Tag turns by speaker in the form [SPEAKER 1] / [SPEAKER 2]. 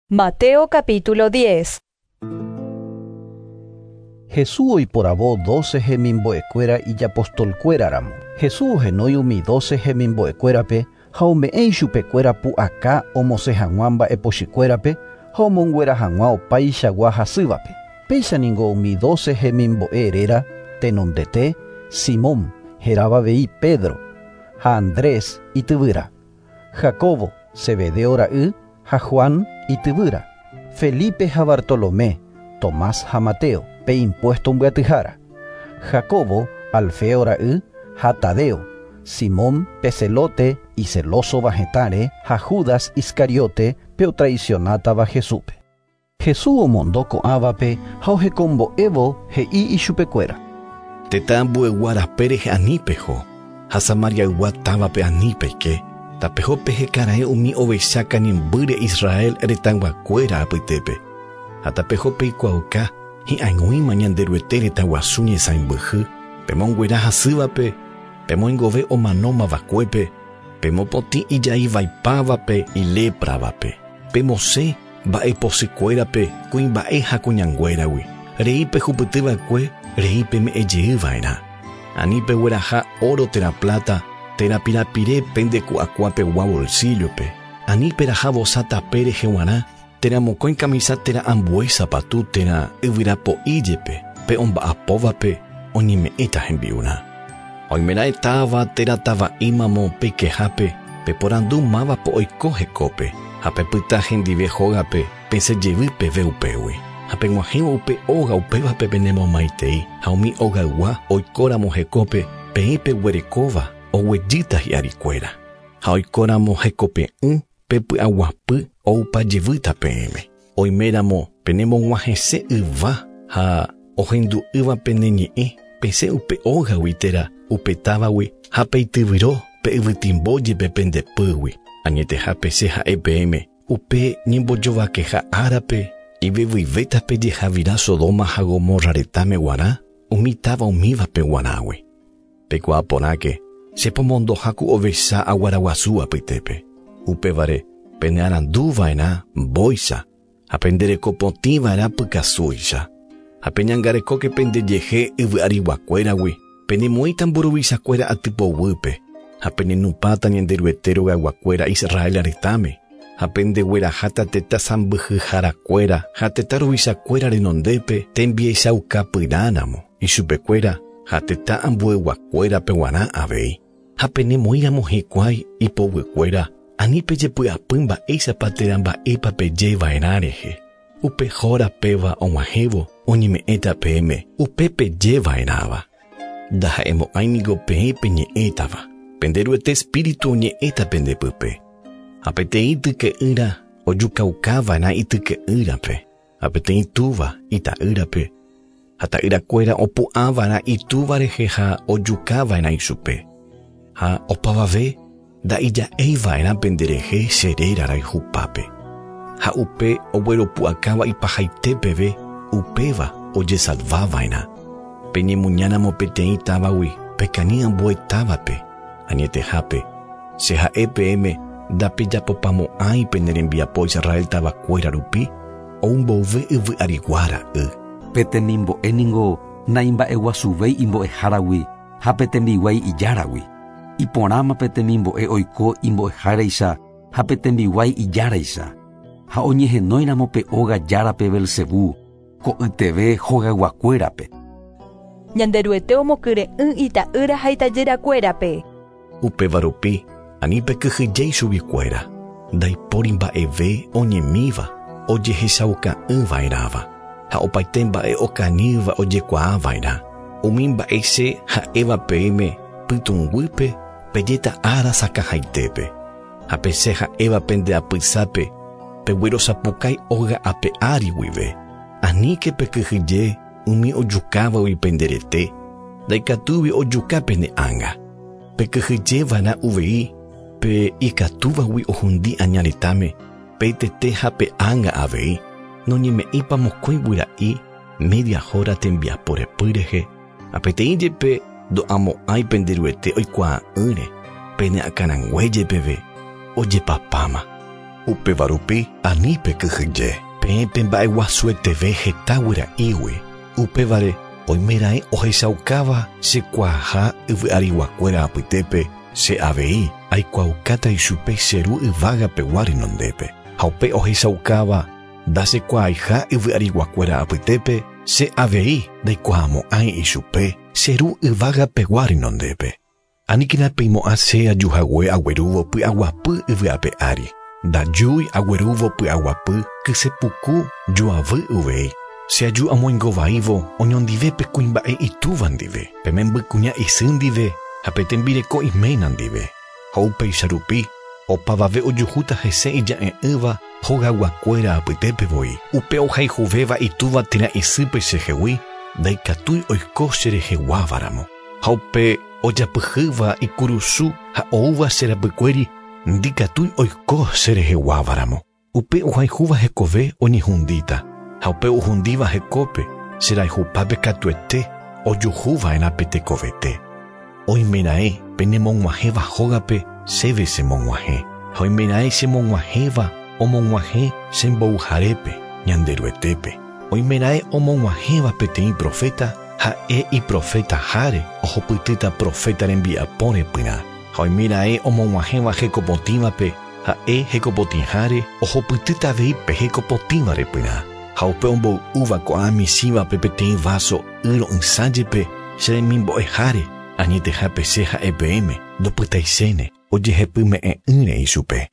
[SPEAKER 1] Mateo capítulo 10.
[SPEAKER 2] Jesús oiporavo 12 hemimbo'ekuéra ijapostolkuéraramo. Jesús ohenói umi 12 hemimbo'ekuérape ha ome'ẽ ichupekuéra pu'aka omosẽ hag̃ua mba'epochykuérape ha omonguera hag̃ua opaichagua hasývape. Péicha ningo umi 12 hemimbo'e réra tenondete Simón hérava avei Pedro ha Andrés ityvýra, Jacobo Zebedeo ra'y ha Juan ityvýra, Felipe ha Bartolomé, Tomás ha Mateo pe impuesto mbyatyhára, Jacobo Alfeo ra'y ha Tadeo, Simón pe Zelote icelósova hetãre ha Judas Iscariote pe otraicionátava Jesúspe. Jesús omondo ko'ãvape ha ohekombo'évo he'i ichupekuéra.
[SPEAKER 3] Tetã ambuegua rape rehe ani peho, ha Samariaygua távape ani peike, tapeho pehekaraẽ umi ovecha kanimbýre Israel retãyguakuéra apytépe, ha tapeho peikuaauka hi'ag̃uíma Ñanderuete retãguasu ñesãimbyhy, pemonguera hasývape, pemoingove omanómavakuépe, pemopotĩ ijaivaipávape ilépravape, pemosẽ mba'epochykuérape kuimba'e ha kuñanguéragui, rei pehupytyva'ekue rei peme'ẽjeyva'erã. Ani pegueraha oro térã plata térã pirapire pendeku'akuapegua bolsillo-pe, ani peraha vosa tape rehe g̃uarã térã mokõi kamisa térã ambue sapatu térã yvyrapo'i jepe pe omba'apóvape oñeme'ẽta hembi'urã. Oimeraẽ táva térã tava'ímamo peikehápe peporandu mávapa oiko hekópe ha pepyta hendive hógape pesẽjevy peve upégui. Ha peg̃uahẽvo upe óga upévape penemomaitei ha umi ogaygua oikóramo hekópe peẽ peguerekóva oguejýta hi'arikuéra. Ha oikóramo hekope'ỹ pe py'aguapy oupa jevýta peẽme. Oiméramo penemog̃uahẽse yva ha ohendu'ỹva pene ñe'ẽ pesẽ upe ógagui térã upe távagui ha peityvyro pe yvytimbo jepe pende pýgui. Añetehápe che ha'e peẽme upe ñembojovakeha árape ivevyvéta pejehavira Sodoma ha Gomorra retãme g̃uarã umi táva umívape g̃uarãgui. Peikuaa porãke che pomondoha ku ovecha aguaraguasu apytépe. Upévare penearanduva'erã mbóicha ha penderekopotĩva'erã pykasúicha. Ha peñangarekóke pendejehe yvy'ariguakuéragui penemoĩta mburuvichakuéra atypoguýpe ha penenupãta Ñanderuete rogayguakuéra Israel retãme ha pendegueraháta tetã sãmbyhyharakuéra ha tetã ruvichakuéra renondépe tembiachaukapyrãramo ichupekuéra ha tetã ambueguakuérape g̃uarã avei. Ha penemoĩramo hikuái ipoguykuéra ani pejepy'apy mba'éichapa térã mba'épa pejeva'erã rehe. Upe hóra péva og̃uahẽvo oñeme'ẽta peẽme upe pejeva'erãva. Ndaha'emo'ãi niko peẽ peñe'ẽtava. Penderuete espíritu oñe'ẽta pendepype. Ha peteĩ tyke'ýra ojukaukava'erã ityke'ýrape, ha peteĩ túva ita'ýrape, ha ta'yrakuéra opu'ãva'erã itúva rehe ha ojukava'erã ichupe. Ha opavave nda'ija'eiva'erã penderehe che réra rayhupápe. Ha upe ogueropu'akáva ipahaite peve upéva ojesalvava'erã. Peñemuñáramo peteĩ távagui pekañy ambue távape. Añetehápe che ha'e peẽme ndapejapopamo'ãi pene rembiapo Israel tavakuéra rupi ou mbove yvy'arigua ra'y.
[SPEAKER 4] Pe temimbo'e ningo naimba'eguasuvéi imbo'eháragui ha pe tembiguái ijáragui. Iporãma pe temimbo'e oiko imbo'eháraicha ha pe tembiguái ijáraicha. Ha oñehenóiramo pe óga járape Belcebú, ko'yteve hogayguakuérape.
[SPEAKER 1] Ñanderuete omokyre'ỹ ita'ýra ha itajyrakuérape.
[SPEAKER 3] Upéva rupi ani pekyhyjéi chuguikuéra, ndaipóri mba'eve oñemíva ojehechauka'ỹva'erãva ha opaite mba'e okañýva ojekuaava'erã. Umi mba'e che ha'éva peẽme pytũnguýpe pejéta ára sakãhaitépe. Ha pe che ha'éva pende apysápe peguerosapukái óga ape ári guive. Aníke pekyhyje umi ojukávagui penderete, ndaikatúigui ojuka pene ánga. Pekyhyjeva'erã uvei pe ikatúvagui ohundi aña retãme, pe tete ha pe ánga avei, noñeme'ẽipa mokõi guyra'i media hora tembiapo repy rehe, ha peteĩ jepe ndo'amo'ãi Penderuete oikuaa'ỹre, pene akãrangue jepeve ojepapáma. Upéva rupi ani pekyhyje. Peẽ pemba'eguasueteve heta guyra'ígui. Upévare oimeraẽ ohechaukáva chekuaaha yvy'ariguakuéra apytépe, che avei aikuaaukáta ichupe che Ru yvágapegua renondépe. Ha upe ohechaukáva ndachekuaaiha yvy'ariguakuéra apytépe, che avei ndaikuaamo'ãi ichupe che Ru yvágapegua renondépe. Aníkena peimo'ã che ajuhague aguerúvo py'aguapy yvy ape ári. Ndajúi aguerúvo py'aguapy kysepuku joavy uvei. Che aju amoingovaívo oñondive pe kuimba'e itúva ndive, pe membykuña isy ndive ha pe tembireko iména ndive. Ha upéicha rupi, opavave ojuhúta hese ija'e'ỹva hogayguakuéra apytépe voi. Upe ohayhuvéva itúva térã isýpe chehegui, ndaikatúi oiko chereheguávaramo. Ha upe ojapyhýva ikurusu ha oúva che rapykuéri, ndikatúi oiko chereheguávaramo. Upe ohayhúva hekove oñehundíta, ha upe ohundíva hekópe che rayhupápe katuete ojuhuva'erã pe tekovete. Oimeraẽ penemog̃uahẽva hógape chéve chemog̃uahẽ, ha oimeraẽ chemog̃uahẽva omog̃uahẽ che mboyharépe, Ñanderuetépe. Oimeraẽ omog̃uahẽva peteĩ proféta, ha'e iprofetaháre ohupytýta proféta rembiapo repyrã. Ha oimeraẽ omog̃uahẽva hekopotĩvape, ha'e hekopotĩháre ohupytýta avei pe hekopotĩva repyrã. Ha upe omboy'úva ko'ã michĩvape peteĩ váso y ro'ysã jepe che remimbo'eháre, añetehápe che ha'e peẽme, ndopytaichéne, ojehepyme'ẽ'ỹre ichupe.